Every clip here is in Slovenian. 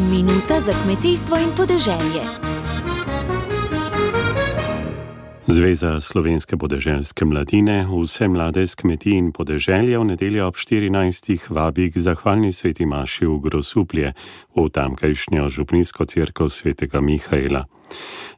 Minuta za kmetijstvo in podeželje. Zveza slovenske podeželske mladine vse mlade s kmetij in podeželja v nedeljo ob 14. vabi k zahvalni sveti maši v Grosuplje v tamkajšnjo župnijsko cerkev svetega Mihaela.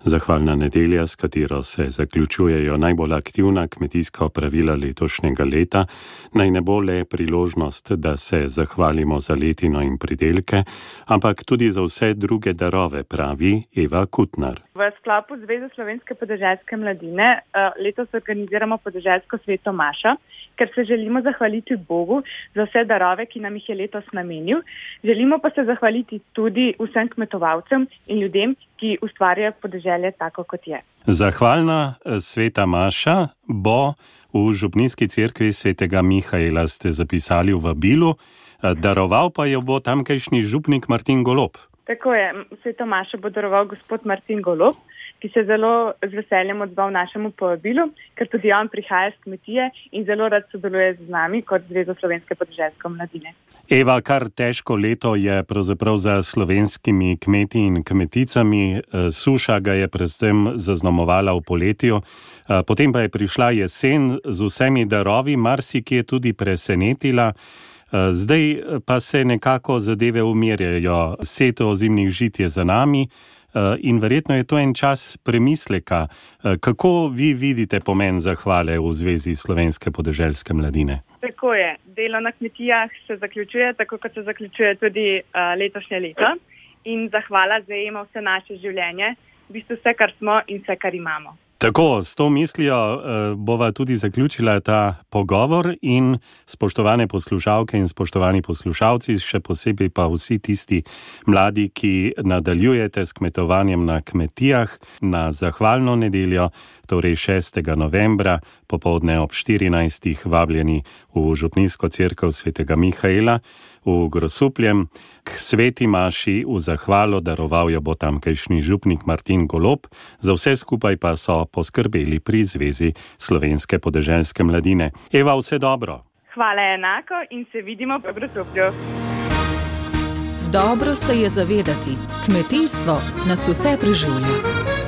Zahvalna nedelja, s katero se zaključujejo najbolj aktivna kmetijska opravila letošnjega leta, naj ne bo le priložnost, da se zahvalimo za letino in pridelke, ampak tudi za vse druge darove, pravi Eva Kutnar. V sklopu Zveze slovenske podeželske mladine letos organiziramo podeželsko sveto mašo, ker se želimo zahvaliti Bogu za vse darove, ki nam jih je letos namenil. Želimo pa se zahvaliti tudi vsem kmetovalcem in ljudem, ki ustvarjajo podeželje tako, kot je. Zahvalna sveta maša bo v župnijski cerkvi svetega Mihaela, ste zapisali v vabilu, daroval pa jo bo tamkajšnji župnik Martin Golob. Tako je, sveto mašo bo daroval gospod Martin Golob, ki se zelo z veseljem odzval našemu povabilu, ker tudi on prihaja z kmetije in zelo rad sodeluje z nami kot Zvezo slovenske podeželske mladine. Eva, kar težko leto je pravzaprav za slovenskimi kmeti in kmeticami. Suša ga je predvsem zaznamovala v poletju, potem pa je prišla jesen z vsemi darovi, marsikje tudi presenetila. Zdaj pa se nekako zadeve umirjajo, setev ozimnih žit je za nami in verjetno je to en čas premisleka. Kako vi vidite pomen zahvale v Zvezi slovenske podeželske mladine? Tako je, delo na kmetijah se zaključuje, tako kot se zaključuje tudi letošnje leto in zahvala zajema vse naše življenje, v bistvu vse, kar smo in vse, kar imamo. Tako, s to mislijo bova tudi zaključila ta pogovor in spoštovane poslušalke in spoštovani poslušalci, še posebej pa vsi tisti mladi, ki nadaljujete s kmetovanjem na kmetijah na zahvalno nedeljo, torej 6. novembra, popoldne ob 14. vabljeni v župnijsko cerkev svetega Mihaela v Grosupljem. K sveti maši v zahvalo daroval jo bo tamkajšnji župnik Martin Golob, za vse skupaj pa so poskrbeli pri Zvezi slovenske podeželske mladine. Eva, vse dobro. Hvala enako in se vidimo v Grosuplju. Dobro se je zavedati, kmetijstvo nas vse preživlja.